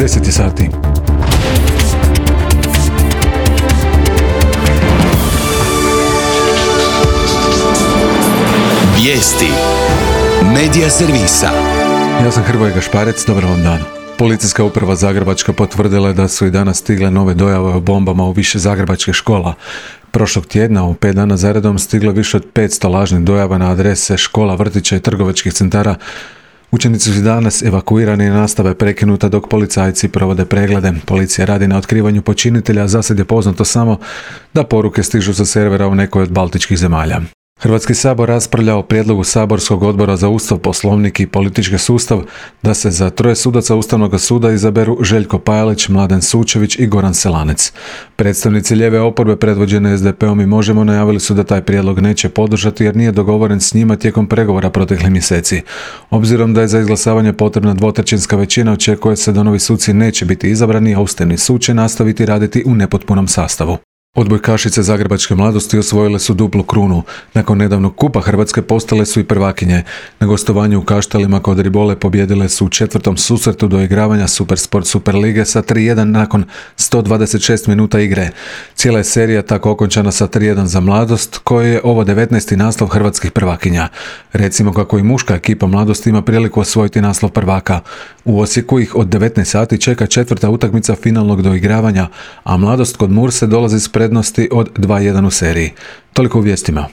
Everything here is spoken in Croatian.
10 sati. Vijesti Medija servisa. Ja sam Hrvoje Gašparec, dobar vam dan. Policijska uprava Zagrebačka potvrdila je da su i danas stigle nove dojave o bombama u više zagrebačkih škola. Prošlog tjedna u 5 dana zaredom stiglo više od 500 lažnih dojava na adrese škola, vrtića i trgovačkih centara. Učenici su danas evakuirani i nastava prekinuta dok policajci provode preglede. Policija radi na otkrivanju počinitelja, a zasad je poznato samo da poruke stižu sa servera u nekoj od baltičkih zemalja. Hrvatski sabor raspravlja o prijedlogu saborskog odbora za Ustav, Poslovnik i politički sustav da se za 3 sudaca Ustavnog suda izaberu Željko Pajalić, Mladen Sučević i Goran Selanec. Predstavnici lijeve oporbe predvođene SDP-om i Možemo najavili su da taj prijedlog neće podržati jer nije dogovoren s njima tijekom pregovora proteklih mjeseci. Obzirom da je za izglasavanje potrebna 2/3 većina, očekuje se da novi suci neće biti izabrani, a Ustavni sud će nastaviti raditi u nepotpunom sastavu. Odbojkašice zagrebačke mladosti osvojile su duplu krunu. Nakon nedavnog kupa Hrvatske postale su i prvakinje. Na gostovanju u Kaštelima kod Ribole pobijedile su u 4. susretu doigravanja Supersport Superlige sa 3:1 nakon 126 minuta igre. Cijela je serija tako okončana sa 3:1 za Mladost, koja je ovo 19. naslov hrvatskih prvakinja. Recimo kako i muška ekipa Mladosti ima priliku osvojiti naslov prvaka. U Osijeku ih od 19 sati čeka 4. utakmica finalnog doigravanja, a Mladost kod Murse dolazi s prednosti od 2:1 u seriji. Toliko u vijestima.